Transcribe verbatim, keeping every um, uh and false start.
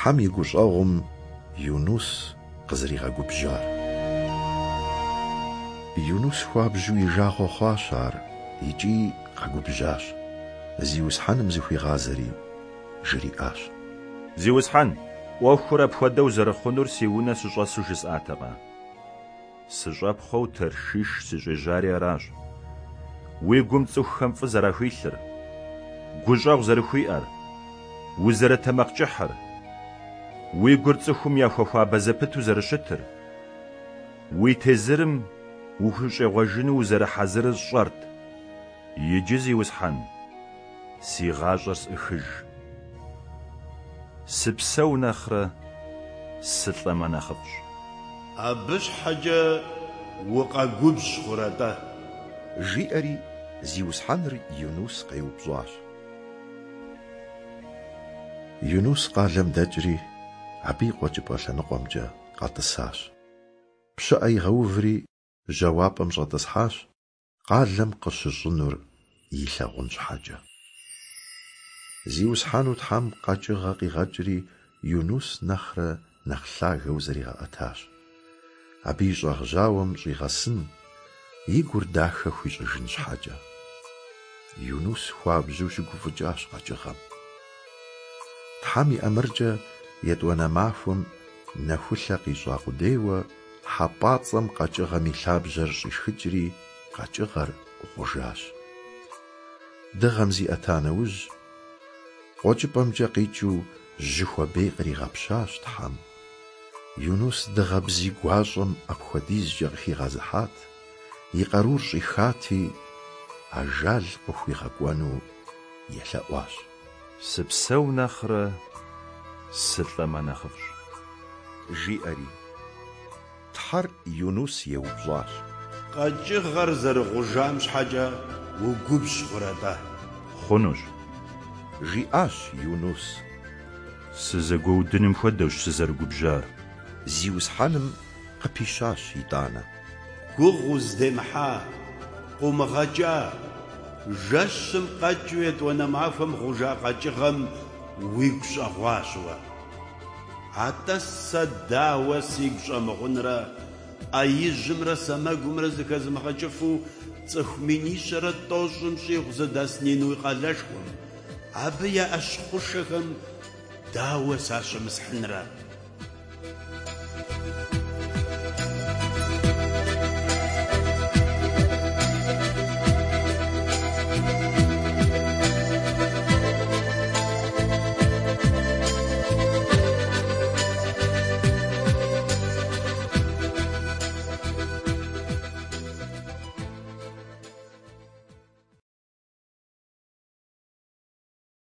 Тхьэм и гущӏэгъум Юнус къызэригъэгубжьар. Юнус хуабжьу и жагъуэ хъуащ ар икӏи къэгубжьащ. Зиусхьэным зыхуигъазэри жриӏащ: Зиусхьэн, ӏуэхур апхуэдэу зэрыхъунур си унэ сыщӏэсу жысӏатэкъэ? Сыщӏэпхъуэу Таршиш сыщӏежьари аращ. Уи гум цӏыхухэм фӏы зэрахуилъыр, гущӏэгъу зэрыхуиӏэр, узэрытэмакъкӏыхьыр, уи гур цӏыхум яхуэхуабэ зэпыту зэрыщытыр, уи тезырым ухущӏегъуэжыну узэрыхьэзырыр сщӏэрт. Иджы, Зиусхьэн, си гъащӏэр сӏыхыж. Сыпсэу нэхърэ сылӏэмэ нэхъыфӏщ. Абы щхьэкӏэ укъэгубжь хъурэ-тӏэ? Жиӏэри Зиусхьэныр Юнус къеупщӏащ. Юнус къалэм дэкӏри, абы и къуэкӏыпӏэ лъэныкъуэмкӏэ къэтӏысащ. Пщыӏэ игъэуври, жьауапӏэм щӏэтӏысхьащ, къалэм къыщыщӏынур илъагъун щхьэкӏэ. Зиусхьэну Тхьэм къэкӏыгъэ къигъэкӏри, Юнус нэхърэ нэхъ лъагэу зригъэӏэтащ. Абы и щӏагъ жьауэм щӏигъэсын, и гур дахэ хуищӏыжын щхьэкӏэ. Юнус хуабжьу щыгуфӏыкӏащ къэкӏыгъэм. Тхьэм и ӏэмыркӏэ етӏуанэ махуэм нэхулъэ къищӏа къудейуэ хьэпӏацӏэм къэкӏыгъэм и лъабжьэр щӏишхыкӏри, къэкӏыгъэр гъужащ. Дыгъэм зиӏэта нэужь, къуэкӏыпӏэмкӏэ къикӏыу жьы хуабей къригъэпщащ Тхьэм. Юнус дыгъэ бзий гуащӏэм апхуэдизкӏэ къыхигъэзыхьат, и къарур щӏихати, ажал къыхуигъэкӏуэну елъэӏуащ. Сыпсэу нэхърэ сылӏэмэ нэхъыфӏщ. Жиӏэри. Тхьэр Юнус еупщӏащ: Къэкӏыгъэр зэрыгъужам щхьэкӏэ угубжь хъурэ-тӏэ? Хъунущ, жиӏащ Юнус. Сызэгуэудыным хуэдэущ сызэрыгубжьар. Зиусхьэным къыпищащ итӏанэ. Гугъу уздемыхьа, къыумыгъэкӏа, жэщым къэкӏыу етӏуанэ махуэм гъужа къэкӏыгъэм уигу щӏэгъуащ уэ. Атӏэ сэ дауэ сигу щӏэмыгъунрэ, ӏэ ижьымрэ сэмэгумрэ зэхэзымыгъэкӏыфу цӏыху минищэрэ тӏощӏым щӏигъу зыдэс Нинуй къалэшхуэм, абы я ӏэщ хъушэхэм дауэ сащымысхьынрэ?